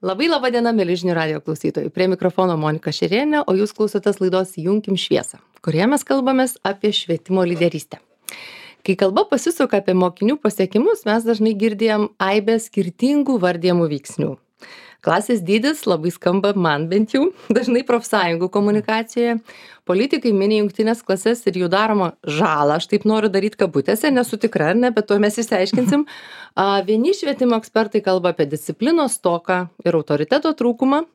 Labai laba diena, mėly žinių radijo klausytojai. Prie mikrofono Monika Šerienė, o jūs klausotės laidos Junkim šviesą, kurioje mes kalbamės apie švietimo lyderystę. Kai kalba pasisuka apie mokinių pasiekimus, mes dažnai girdėjom aibę skirtingų vardijamų veiksnių. Klasės dydis labai skamba man bent jau, dažnai profsąjungų komunikacijoje. Politikai mini jungtinės klases ir jų daromą žalą. Aš taip noriu daryti kabutėse, nesu tikra, ar ne, bet to mes išsiaiškinsim. Vieni švietimo ekspertai kalba apie disciplinos stoką ir autoriteto trūkumą,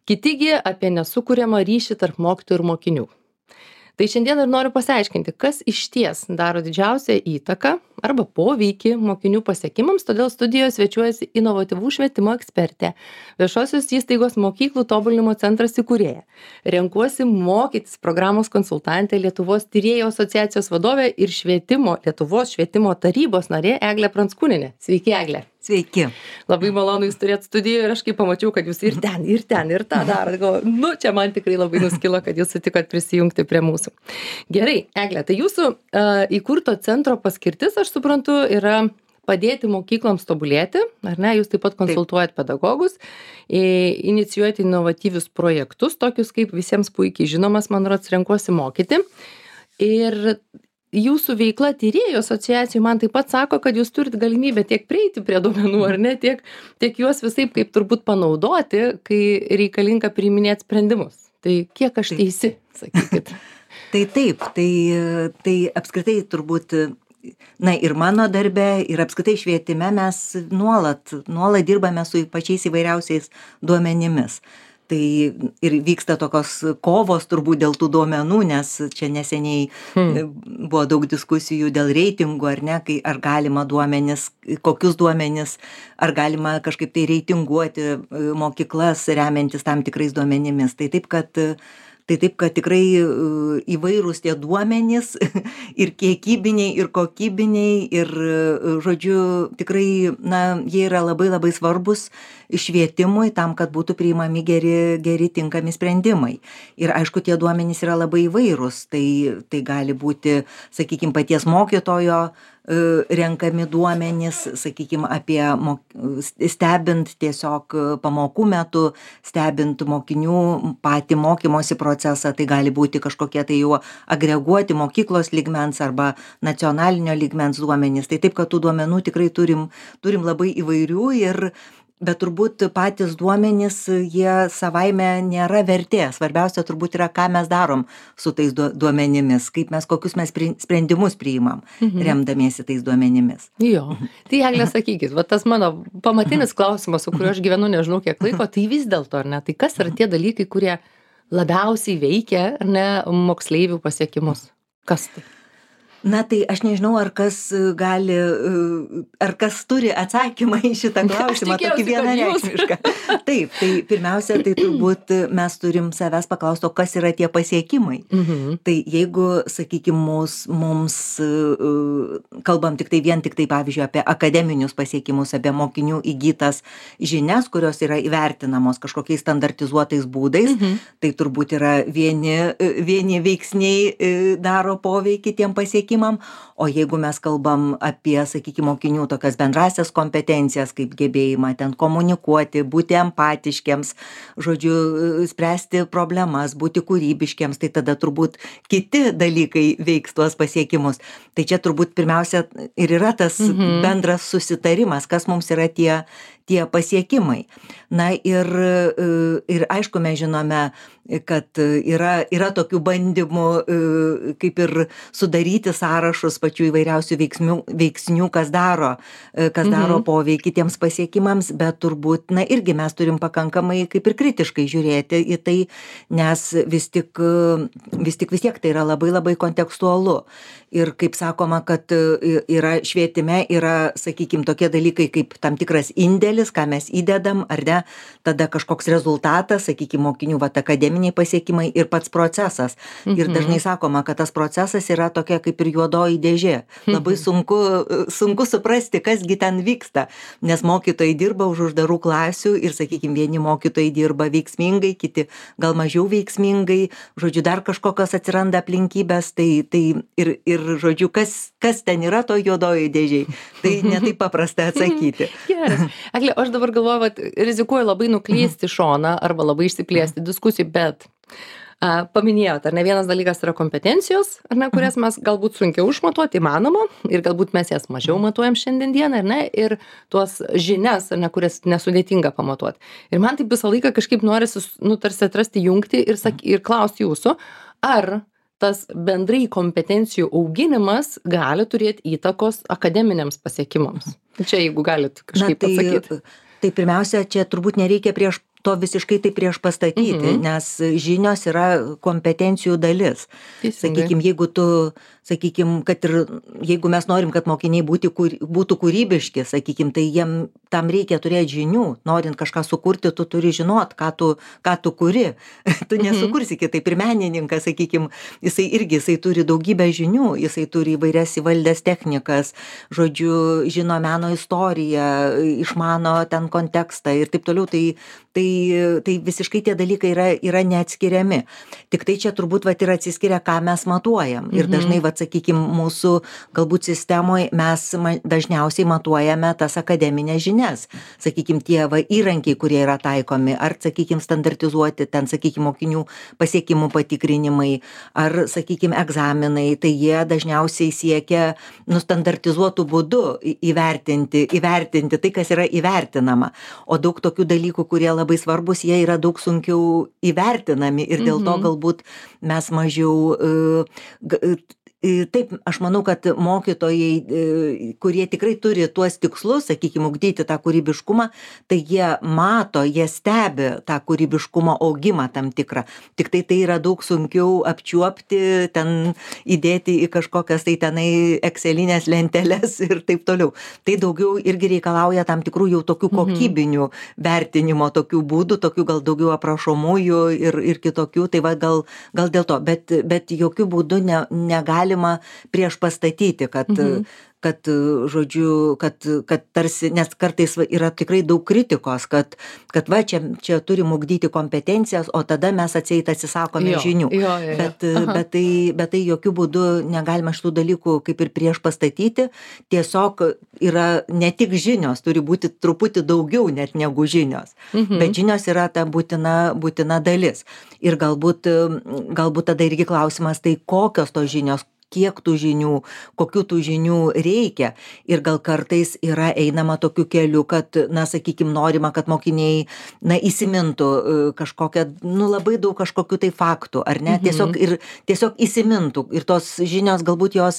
kitigi apie nesukuriamą ryšį tarp mokytojų ir mokinių. Tai šiandien ir noriu pasiaiškinti, kas išties daro didžiausią įtaką arba poveikį mokinių pasiekimams, todėl studijoje svečiuojasi inovatyvų švietimo ekspertė, viešosios įstaigos mokyklų tobulinimo centras įkūrėja. Renkuosi mokytis programos konsultantė, Lietuvos tyrėjų asociacijos vadovė ir Lietuvos švietimo tarybos narė Eglė Pranckūnienė. Sveiki, Eglė. Sveiki. Labai malonu jūs turėt studijoje ir aš kai pamačiau, kad jūs ir tą darot, galvoju, čia man tikrai labai nuskilo, kad jūs sutikot prisijungti prie mūsų. Gerai, Eglė, tai jūsų įkurto centro paskirtis, aš suprantu, yra padėti mokykloms tobulėti, ar ne? Jūs taip pat konsultuojat pedagogus, inicijuojate inovatyvius projektus, tokius kaip visiems puikiai žinomas, man rods, renkuosi mokyti. Ir jūsų veikla tyrėjų asociacijų man taip pat sako, kad jūs turit galimybę tiek prieiti prie duomenų, ar ne, tiek juos visaip kaip turbūt panaudoti, kai reikalinga priiminėti sprendimus. Tai kiek aš teisi, sakykit. Tai taip, tai apskritai turbūt, ir mano darbe, ir apskritai švietime mes nuolat dirbame su pačiais įvairiausiais duomenimis. Tai ir vyksta tokios kovos turbūt dėl tų duomenų, nes čia neseniai buvo daug diskusijų dėl reitingų, ar ne, ar galima duomenis, kokius duomenis, ar galima kažkaip tai reitinguoti mokyklas remiantis tam tikrais duomenimis. Tai taip, kad tikrai įvairūs tie duomenys ir kiekybiniai, ir kokybiniai, ir, žodžiu, tikrai, jie yra labai labai svarbus švietimui tam, kad būtų priimami geri tinkami sprendimai. Ir aišku, tie duomenys yra labai įvairūs. Tai gali būti, sakykime, paties mokytojo renkami duomenys, sakykime, apie stebint tiesiog pamokų metu, stebint mokinių patį mokymosi procesą, tai gali būti kažkokie tai jau agreguoti mokyklos lygmens arba nacionalinio lygmens duomenys. Tai taip, kad tų duomenų tikrai turim labai įvairių, bet turbūt patys duomenys, jie savaime nėra vertė. Svarbiausia turbūt yra, ką mes darom su tais duomenimis, kokius mes sprendimus priimam, remdamiesi tais duomenimis. Jo, tai Eglė, sakykit, tas mano pamatinis klausimas, su kuriuo aš gyvenu nežinau kiek laiko, tai vis dėlto, ar ne, tai kas yra tie dalykai, kurie labiausiai veikia, ar ne, moksleivių pasiekimus? Kas tai? Tai aš nežinau, ar kas turi atsakymą į šitą klausimą, tokį vienareikšmišką. Taip, tai pirmiausia, tai turbūt mes turim savęs paklausti, kas yra tie pasiekimai. Tai jeigu, sakykime, mums kalbam vien tik tai, pavyzdžiui, apie akademinius pasiekimus, apie mokinių įgytas žinias, kurios yra įvertinamos kažkokiais standartizuotais būdais, tai turbūt yra vieni veiksniai daro poveikį tiem pasiekimam. O jeigu mes kalbam apie, sakykime, mokinių tokias bendrasias kompetencijas, kaip gebėjimą ten komunikuoti, būti empatiškiams, žodžiu, spręsti problemas, būti kūrybiškiams, tai tada turbūt kiti dalykai veiks tuos pasiekimus. Tai čia turbūt pirmiausia ir yra tas bendras susitarimas, kas mums yra tie pasiekimai. Ir aišku, mes žinome, kad yra tokių bandymų kaip ir sudaryti sąrašus pačių įvairiausių veiksnių, kas daro poveikį tiems pasiekimams, bet turbūt, irgi mes turim pakankamai kaip ir kritiškai žiūrėti į tai, nes vis tiek tai yra labai labai kontekstualu. Ir kaip sakoma, kad švietime yra, sakykime, tokie dalykai kaip tam tikras indėlis, ką mes įdedam, ar ne, tada kažkoks rezultatas, sakykime, mokinių akademiniai pasiekimai ir pats procesas. Ir dažnai sakoma, kad tas procesas yra tokia kaip ir juodoji dėžė. Labai sunku suprasti, kasgi ten vyksta, nes mokytojai dirba už uždarų klasių ir, sakykime, vieni mokytojai dirba veiksmingai, kiti gal mažiau veiksmingai, žodžiu, dar kažkokios atsiranda aplinkybės, tai ir žodžiu, kas ten yra to juodoji dėžiai, tai netaip paprasta atsakyti. Geras. Eglė, Eglė, aš dabar galvoju, kad rizikuoju labai nuklysti šoną arba labai išsiplėsti diskusijų, bet paminėjot, ar ne, vienas dalykas yra kompetencijos, ar ne, kurias mes galbūt sunkiau išmatuoti įmanoma ir galbūt mes jas mažiau matuojam šiandien dieną, ar ne, ir tuos žinias, ar ne, kurias nesudėtinga pamatuoti. Ir man taip visą laiką kažkaip norisi, tarsi atrasti jungti ir klausti jūsų, ar tas bendrai kompetencijų auginimas gali turėti įtakos akademiniams pasiekimams. Čia jeigu galit kažkaip atsakyti. Tai pirmiausia, čia turbūt nereikia to visiškai tai prieš pastatyti, nes žinios yra kompetencijų dalis. Sakykime, kad ir jeigu mes norim, kad mokiniai būtų kūrybiški, sakykime, tai jiem tam reikia turėti žinių. Norint kažką sukurti, tu turi žinot, ką tu kuri. Tu nesukursi kitaip. Ir menininkas, sakykime, jisai turi daugybę žinių, jisai turi įvairias įvaldęs technikas, žodžiu, žino meno istoriją, išmano ten kontekstą ir taip toliau. Tai visiškai tie dalykai yra neatskiriami. Tik tai čia turbūt ir atsiskiria, ką mes matuojam. Ir dažnai, sakykime, mūsų galbūt sistemoje mes dažniausiai matuojame tas akademinės žinias. Sakykime, tie įrankiai, kurie yra taikomi, ar, sakykime, standartizuoti ten, sakykime, mokinių pasiekimų patikrinimai, ar, sakykime, egzaminai, tai jie dažniausiai siekia standartizuotų būdų įvertinti tai, kas yra įvertinama. O daug tokių dalykų, kurie labai svarbus, jie yra daug sunkiau įvertinami ir dėl to galbūt mes mažiau Taip, aš manau, kad mokytojai, kurie tikrai turi tuos tikslus, sakykime, ugdyti tą kūrybiškumą, tai jie mato, jie stebi tą kūrybiškumo augimą tam tikrą. Tik tai yra daug sunkiau apčiuopti, ten įdėti į kažkokias tai tenai excelinės lenteles ir taip toliau. Tai daugiau irgi reikalauja tam tikrų jau tokių kokybinių vertinimo, tokių būdų, tokių gal daugiau aprašomųjų ir kitokių. Tai gal dėl to, bet jokių būdų negali prieš pastatyti, kad tarsi, nes kartais yra tikrai daug kritikos, kad čia turim ugdyti kompetencijas, o tada mes atsisakome žinių. Bet tai jokių būdų negalima šitų dalykų kaip ir prieš pastatyti. Tiesiog yra ne tik žinios, turi būti truputį daugiau net negu žinios. Bet žinios yra ta būtina dalis. Ir galbūt tada irgi klausimas, tai kokios tos žinios, kiek tų žinių, kokių tų žinių reikia. Ir gal kartais yra einama tokiu keliu, kad, sakykime, norima, kad mokiniai, įsimintų kažkokią, labai daug kažkokių tai faktų, ar ne? Tiesiog įsimintų. Ir tos žinios galbūt jos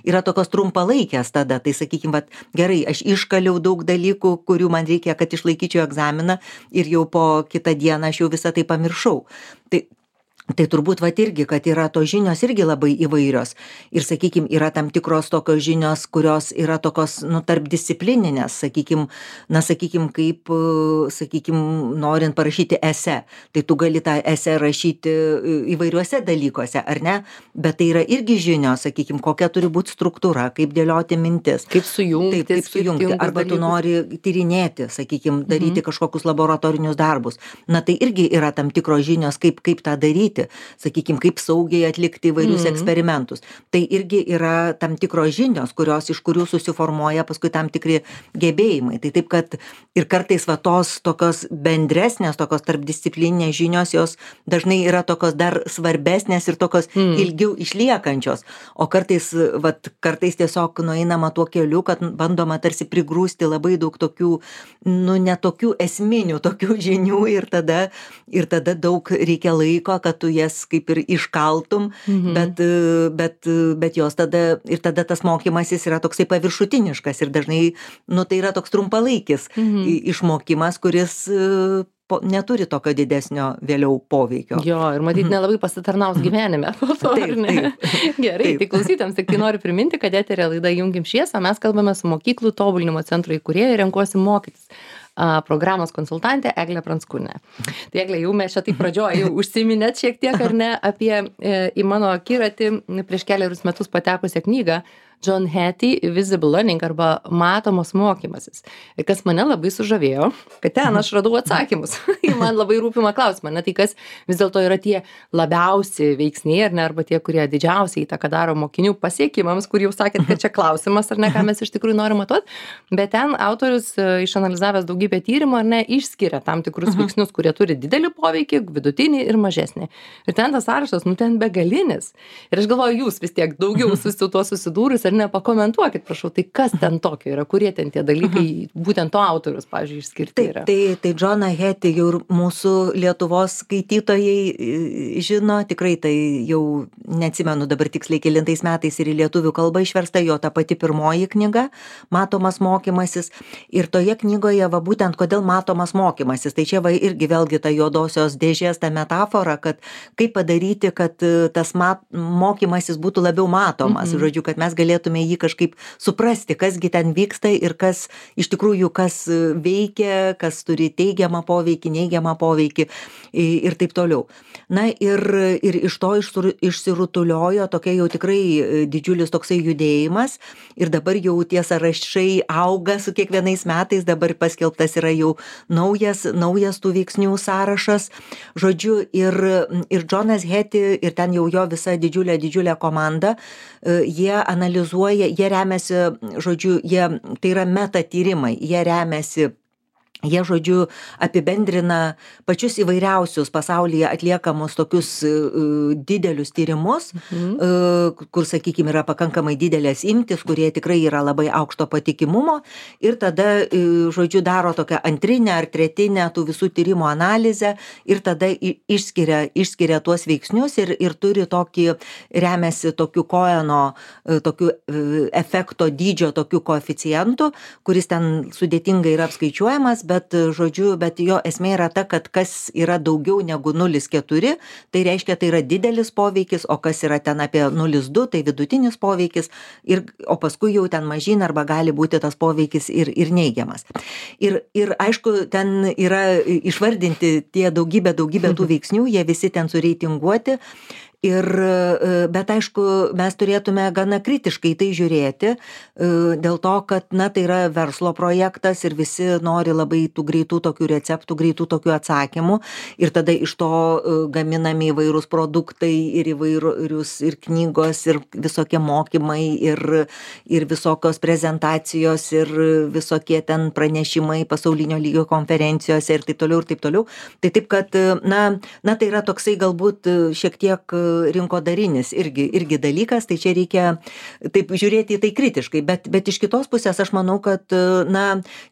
yra tokios trumpalaikės tada. Tai, sakykime, gerai, aš iškaliau daug dalykų, kurių man reikia, kad išlaikyčiau egzaminą ir jau po kitą dieną aš jau visą tai pamiršau. Tai turbūt irgi, kad yra tos žinios irgi labai įvairios. Ir, sakykime, yra tam tikros tokios žinios, kurios yra tokios, tarp disciplininės, sakykime, kaip, norint parašyti esė. Tai tu gali tą esė rašyti įvairiuose dalykuose, ar ne? Bet tai yra irgi žinios, sakykime, kokia turi būti struktūra, kaip dėlioti mintis. Kaip sujungti. Kaip sujungti. Arba tu nori tyrinėti, sakykime, daryti kažkokius laboratorinius darbus. Tai irgi yra tam tikros žinios, kaip tą daryti. Sakykime, kaip saugiai atlikti įvairius eksperimentus. Tai irgi yra tam tikros žinios, iš kurių susiformuoja paskui tam tikri gebėjimai. Tai taip, kad ir kartais tos tokios bendresnės, tokios tarpdisciplininės žinios, jos dažnai yra tokios dar svarbesnės ir tokios ilgiau išliekančios. O kartais kartais tiesiog nueinama tuo keliu, kad bandoma tarsi prigrūsti labai daug tokių, netokių esminių tokių žinių ir tada daug reikia laiko, kad tu jas kaip ir iškaltum, bet jos tada tas mokymasis yra toksai paviršutiniškas ir dažnai, tai yra toks trumpalaikis išmokimas, kuris neturi tokio didesnio vėliau poveikio. Jo, ir matyt, nelabai pasitarnaus gyvenime. Gerai, tai klausytams, tik tai noriu priminti, kad eteryje laida Junkim šviesą, mes kalbame su mokyklų tobulinimo centro įkūrėja Renkuosi mokytis programos konsultantė Eglė Pranckūnienė. Tai Eglė, jau mes čia taip pradžioje jau užsiminėt šiek tiek, ar ne, apie į mano akiratį prieš kelerius metus patekusią knygą John Hattie Visible Learning arba matomas mokymasis. Ir kas mane labai sužavėjo, kad ten aš radau atsakymus į man labai rūpimą klausimą. Tai kas vis dėlto yra tie labiausiai veiksniai, ar ne, arba tie, kurie didžiausiai įtaką daro mokinių pasiekimams, kur jau sakėt, kad čia klausimas, ar ne, ką mes iš tikrųjų norim matuoti. Bet ten autorius, išanalizavęs daugybę tyrimų, ar ne, išskiria tam tikrus veiksnius, kurie turi didelį poveikį, vidutinį ir mažesnį. Ir ten tas sąrašas, ten begalinis. Ir aš galvoju, jūs vis tiek daugiau su tuo susidūrus, ar ne, pakomentuokit, prašau, tai kas ten tokio yra, kurie ten tie dalykai, būtent to autorius, pavyzdžiui, išskirti yra. Tai Johną Hattie jau ir mūsų Lietuvos skaitytojai žino, tikrai tai jau neatsimenu dabar tiksliai kelintais metais ir į lietuvių kalbą išversta jo ta pati pirmoji knyga, Matomas mokymasis. Ir toje knygoje, va būtent kodėl matomas mokymasis, tai čia va irgi vėlgi ta juodosios dėžės, ta metafora, kad kaip padaryti, kad tas mokymasis būtų labiau matomas, žodžiu, kad mes galėtume jį kažkaip suprasti, kasgi ten vyksta ir kas iš tikrųjų, kas veikia, kas turi teigiamą poveikį, neigiamą poveikį ir taip toliau. Na ir iš to išsirutuliojo tokia jau tikrai didžiulis toksai judėjimas ir dabar jau tie sąrašai auga su kiekvienais metais, dabar paskelbtas yra jau naujas tų veiksnių sąrašas. Žodžiu, ir Johnas Hattie, ir ten jau jo visa didžiulė komanda, jie analizuoja, jie remiasi, žodžiu, tai yra metatyrimai, jie, žodžiu, apibendrina pačius įvairiausius pasaulyje atliekamus tokius didelius tyrimus, kur, sakykime, yra pakankamai didelės imtis, kurie tikrai yra labai aukšto patikimumo ir tada, žodžiu, daro tokią antrinę ar tretinę tų visų tyrimų analizę ir tada išskiria tuos veiksnius ir turi tokį, remiasi tokiu Coheno, tokiu efekto dydžio, tokiu koeficientu, kuris ten sudėtingai yra apskaičiuojamas, bet jo esmė yra ta, kad kas yra daugiau negu 0,4, tai reiškia, tai yra didelis poveikis, o kas yra ten apie 0,2, tai vidutinis poveikis, o paskui jau ten mažyn arba gali būti tas poveikis ir neigiamas. Ir aišku, ten yra išvardinti tie daugybė tų veiksnių, jie visi ten sureitinguoti. Bet aišku, mes turėtume gana kritiškai tai žiūrėti, dėl to, kad, tai yra verslo projektas ir visi nori labai tų greitų tokių receptų, greitų tokių atsakymų ir tada iš to gaminami įvairūs produktai ir įvairius ir knygos ir visokie mokymai ir visokios prezentacijos ir visokie ten pranešimai pasaulinio lygio konferencijose ir taip toliau. Tai taip, kad, tai yra toksai galbūt šiek tiek rinkodarinis irgi dalykas, tai čia reikia taip žiūrėti į tai kritiškai, bet iš kitos pusės aš manau, kad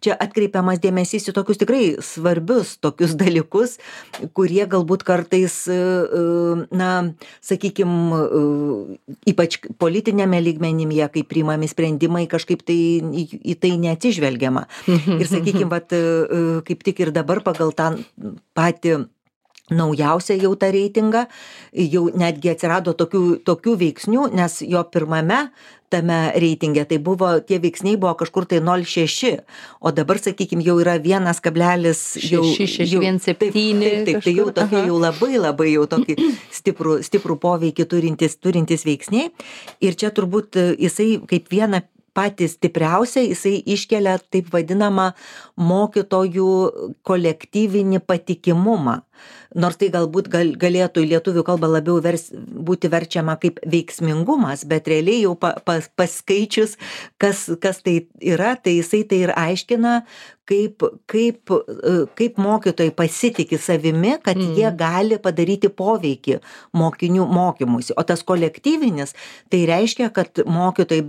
čia atkreipiamas dėmesys į tokius tikrai svarbius tokius dalykus, kurie galbūt kartais, sakykime, ypač politinėme lygmenyje, kai priimami sprendimai, kažkaip tai į tai neatsižvelgiama. Ir sakykime, kaip tik ir dabar pagal tą patį naujausią jau tą reitingą, jau netgi atsirado tokių veiksnių, nes jo pirmame tame reitinge tai buvo, tie veiksniai buvo kažkur tai 0,6, o dabar, sakykime, jau yra 1,617. Taip, tai jau tokie jau labai jau tokį stiprų poveikį turintys veiksniai. Ir čia turbūt jisai kaip vieną patį stipriausią, jisai iškelia taip vadinamą mokytojų kolektyvinį patikimumą. Nors tai galbūt galėtų į lietuvių kalbą labiau būti verčiama kaip veiksmingumas, bet realiai jau paskaičius, kas tai yra, tai jisai tai ir aiškina, kaip mokytojai pasitiki savimi, kad jie gali padaryti poveikį mokinių mokymuisi. O tas kolektyvinis, tai reiškia, kad mokytojai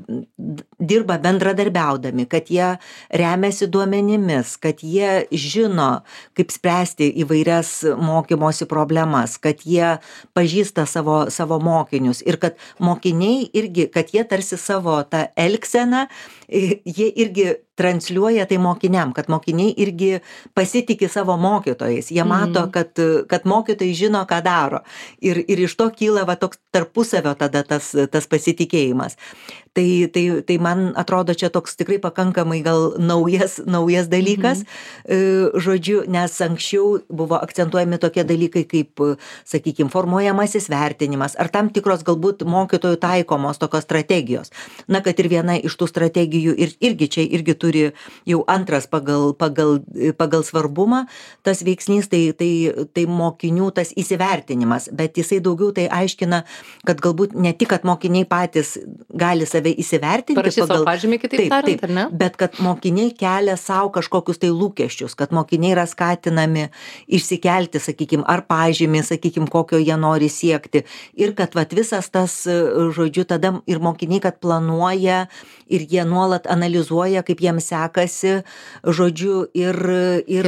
dirba bendradarbiaudami, kad jie remiasi duomenimis, kad jie žino, kaip spręsti įvairias mokymosi problemas, kad jie pažįsta savo mokinius ir kad mokiniai irgi, kad jie tarsi savo tą elgseną, jie irgi transliuoja tai mokiniam, kad mokiniai irgi pasitiki savo mokytojais. Jie mato, kad mokytojai žino, ką daro. Ir iš to kyla va toks tarpusavio tada tas pasitikėjimas. Tai man atrodo čia toks tikrai pakankamai gal naujas dalykas, žodžiu, nes anksčiau buvo akcentuojami tokie dalykai kaip, sakykime, formuojamasis vertinimas ar tam tikros galbūt mokytojų taikomos tokios strategijos. Na, kad ir viena iš tų strategijų irgi turi jau antras pagal svarbumą tas veiksnys, tai mokinių tas įsivertinimas, bet jisai daugiau tai aiškina, kad galbūt ne tik, kad mokiniai patys gali save įsivertinti. Parašyti savo pažymį, kitaip tariant, ar ne? Bet kad mokiniai kelia savo kažkokius tai lūkesčius, kad mokiniai yra skatinami išsikelti, sakykime, ar pažymį, sakykime, kokio jie nori siekti. Ir kad vat visas tas, žodžiu, tada ir mokiniai, kad planuoja ir jie nuolat analizuoja, kaip jiems sekasi, žodžiu, ir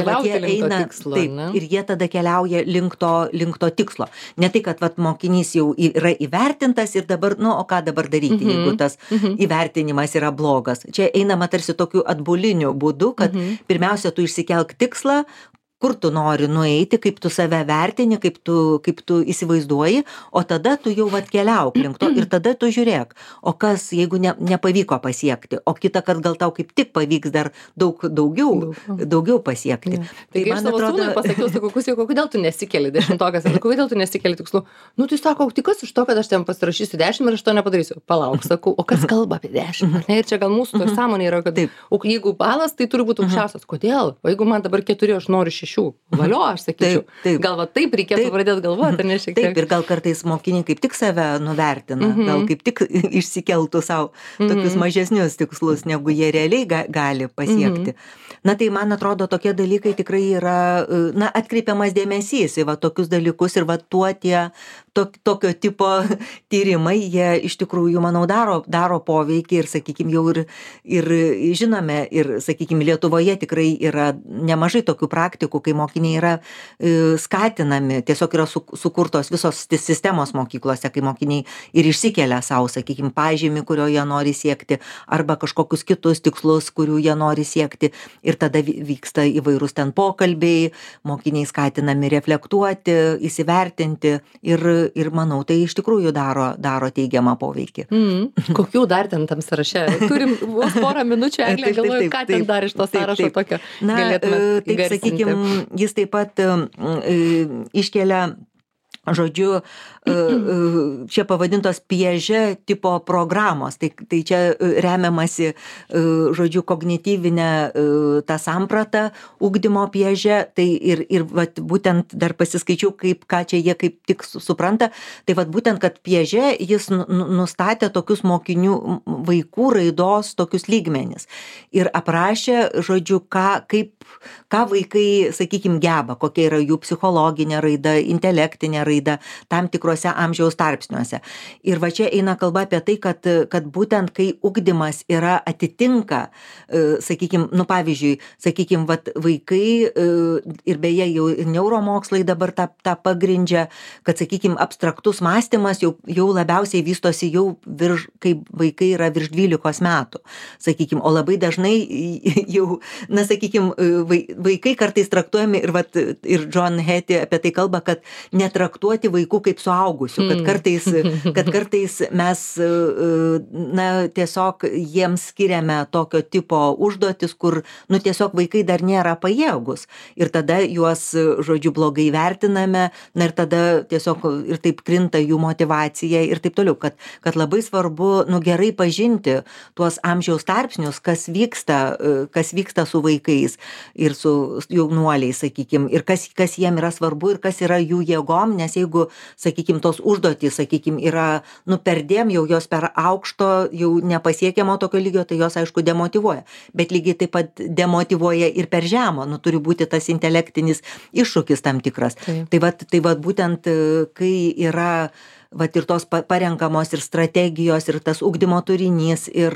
vat jie eina, tikslo, taip, ir jie tada keliauja link to tikslo. Ne tai, kad vat mokinys jau yra įvertintas ir dabar, o ką dabar daryti, jeigu tas įvertinimas yra blogas. Čia einama tarsi tokiu atbuliniu būdu, kad pirmiausia, tu išsikelk tikslą, kur tu nori nueiti, kaip tu save vertini, kaip tu įsivaizduoji, o tada tu jau keliauk link to ir tada tu žiūrėk, o kas, jeigu nepavyko pasiekti, o kitą kartą gal tau kaip tik pavyks dar daugiau pasiekti. Tai man atrodo, sūnui pasakiau, sakau, kodėl tu nesikeli 10-okas, kodėl tu nesikeli tikslų? Tai sako, tai kas iš to, kad aš ten pasirašysiu 10 ir aš to nepadarysiu? Palauk, sakau, o kas kalba apie 10? Ir čia gal mūsų to sąmonė yra, kad o jeigu balas, tai turi būti aukščiausias. Kodėl? O jeigu man dabar 4, aš noriu 6. Valio, aš sakyčiau. Gal taip reikėtų pradėti galvoti, ar ne šiek tiek? Taip, ir gal kartais mokiniai kaip tik save nuvertina, gal kaip tik išsikeltų savo tokius mažesnius tikslus, negu jie realiai gali pasiekti. Na tai man atrodo, tokie dalykai tikrai yra, atkreipiamas dėmesys į tokius dalykus ir tuo tie tokio tipo tyrimai, jie iš tikrųjų, manau, daro poveikį ir, sakykime, jau ir žinome, ir, sakykime, Lietuvoje tikrai yra nemažai tokių praktikų, kai mokiniai yra skatinami, tiesiog yra sukurtos visos sistemos mokyklose, kai mokiniai ir išsikelia savo, sakykime, pažymį, kurio jie nori siekti, arba kažkokius kitus tikslus, kurių jie nori siekti, ir tada vyksta įvairūs ten pokalbiai, mokiniai skatinami reflektuoti, įsivertinti ir manau, tai iš tikrųjų daro teigiamą poveikį. Kokių dar ten tam sąraše? Turim vos porą minučių, Eglė, galvoju, ką ten dar iš to sąrašo tokio galėtume įgarsinti. Taip, sakykime, jis taip pat iškelia, žodžiu, čia pavadintos Piaget tipo programos, tai čia remiamasi, žodžiu, kognityvinę tą sampratą ugdymo Piaget, tai ir būtent dar pasiskaičiau, ką čia jie kaip tik supranta, tai būtent, kad Piaget jis nustatė tokius mokinių vaikų raidos tokius lygmenis ir aprašė, žodžiu, ką vaikai, sakykime, geba, kokia yra jų psichologinė raida, intelektinė raida tam tikrose amžiaus tarpsniuose. Ir čia eina kalba apie tai, kad būtent kai ugdymas yra atitinka, sakykime, pavyzdžiui, sakykime, vaikai ir beje jau neuromokslai dabar tą pagrindžia, kad, sakykime, abstraktus mąstymas jau labiausiai vystosi jau kai vaikai yra virš 12 metų, sakykime, o labai dažnai jau, sakykime, vaikai kartais traktuojami ir John Hattie apie tai kalba, kad netraktuoti vaikų kaip suaugusių, kad kartais mes tiesiog jiems skiriame tokio tipo užduotis, kur tiesiog vaikai dar nėra pajėgus ir tada juos, žodžiu, blogai vertiname, ir tada tiesiog ir taip krinta jų motyvacija ir taip toliau, kad labai svarbu gerai pažinti tuos amžiaus tarpsnius, kas vyksta su vaikais ir su jaunuoliais, sakykime, ir kas jiem yra svarbu ir kas yra jų jėgom, nes jeigu, sakykime, tos užduotys, sakykime, yra perdėm, jau jos per aukšto, jau nepasiekiamo tokio lygio, tai jos, aišku, demotyvuoja. Bet lygiai taip pat demotyvuoja ir per žemo, turi būti tas intelektinis iššūkis tam tikras. Tai būtent, kai yra ir tos parenkamos ir strategijos, ir tas ugdymo turinys, ir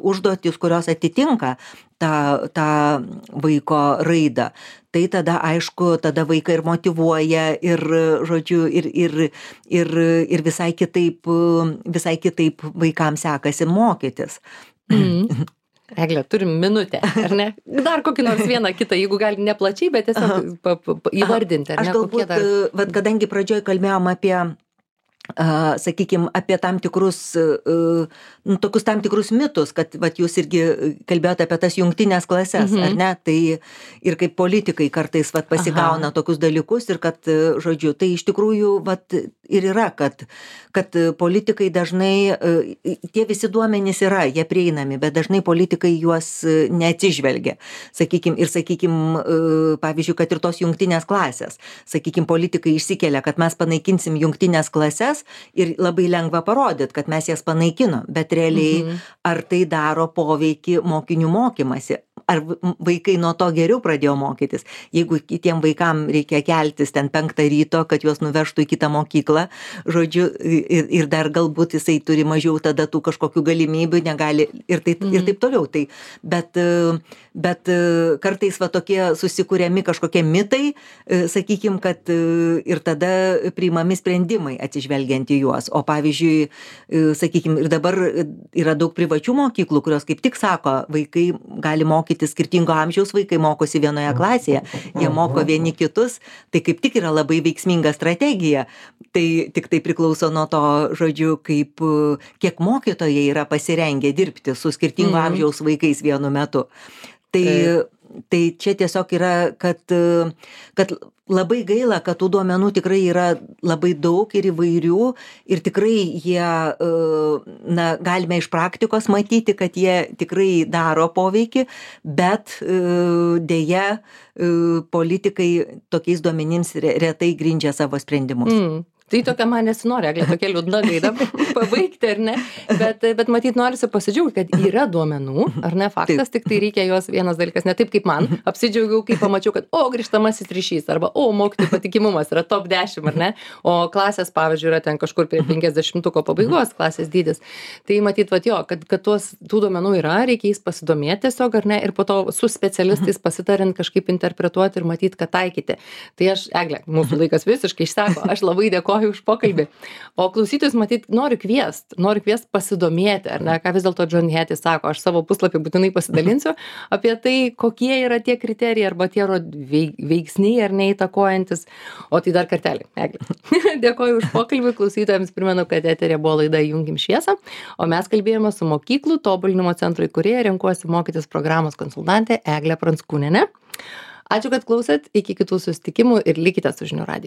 užduotis, kurios atitinka tą vaiko raidą. Tai tada, aišku, tada vaiką ir motyvuoja, ir, žodžiu, ir visai kitaip vaikams sekasi mokytis. Egle, turim minutę, ar ne? Dar kokį nors vieną kitą, jeigu gali ne plačiai, bet tiesiog įvardinti, ar ne? Aš galbūt, vat, kadangi pradžioj kalbėjom apie sakykime, apie tam tikrus, tokius tam tikrus mitus, kad vat, jūs irgi kalbėjote apie tas jungtinės klases, ar ne? Tai ir kaip politikai kartais vat, pasigauna tokius dalykus ir kad, žodžiu, tai iš tikrųjų vat, ir yra, kad politikai dažnai, tie visi duomenys yra, jie prieinami, bet dažnai politikai juos neatsižvelgia. Sakykime, pavyzdžiui, kad ir tos jungtinės klasės. Sakykime, politikai išsikelia, kad mes panaikinsim jungtinės klases ir labai lengva parodyti, kad mes jas panaikinom, bet realiai ar tai daro poveikį mokinių mokymasi? Ar vaikai nuo to geriau pradėjo mokytis? Jeigu kitiem vaikam reikia keltis ten 5 ryto, kad juos nuvežtų į kitą mokyklą, žodžiu, ir dar galbūt jisai turi mažiau tada tų kažkokių galimybių, negali ir taip toliau. Tai, bet kartais va tokie susikūrėmi kažkokie mitai, sakykime, kad ir tada priimami sprendimai atsižvelgiant į juos. O pavyzdžiui, sakykime, ir dabar yra daug privačių mokyklų, kurios kaip tik sako, vaikai gali mokyti skirtingo amžiaus, vaikai mokosi vienoje klasėje, jie moko vieni kitus, tai kaip tik yra labai veiksminga strategija. Tai tik tai priklauso nuo to, žodžiu, kiek mokytojai yra pasirengę dirbti su skirtingo amžiaus vaikais vienu metu. Tai čia tiesiog yra, kad labai gaila, kad tų duomenų tikrai yra labai daug ir įvairių ir tikrai jie, galime iš praktikos matyti, kad jie tikrai daro poveikį, bet deja politikai tokiais duomenims retai grindžia savo sprendimus. Tai tokia man nesinori, Egle, tokia liūdna gaida pabaigti, ar ne? Bet matyt, norisi pasidžiaugti, kad yra duomenų, ar ne, faktas, tik tai reikia juos vienas dalykas, ne taip kaip man, apsidžiaugiau, kai pamačiau, kad grįžtamasis ryšys, arba mokytojų patikimumas yra top 10, ar ne? O klasės, pavyzdžiui, yra ten kažkur prie 50-ko pabaigos klasės dydis. Tai matyt, kad tų duomenų yra, reikia jais pasidomėti tiesiog, ar ne, ir po to su specialistais pasitarint kažkaip interpretuoti ir matyti, kad taikyti. Tai aš, Egle, mūsų laikas visiškai išseko, aš labai dėkoju už pokalbį. O klausytojus, matyt, noriu kviest pasidomėti, ar ne, ką vis dėlto John Hattie sako, aš savo puslapį būtinai pasidalinsiu apie tai, kokie yra tie kriterijai arba tie veiksniai ar neįtakojantis. O tai dar kartelį, Egle. Dėkoju už pokalbį, klausytojams primenu, kad eterė buvo laida Junkim šviesą, o mes kalbėjome su mokyklų tobulinimo centro įkūrėja Renkuosi mokytis programos konsultantė Eglė Pranckūnienė. Ačiū, kad klausėt, iki kitų susitikimų ir likite su Žinių radiju.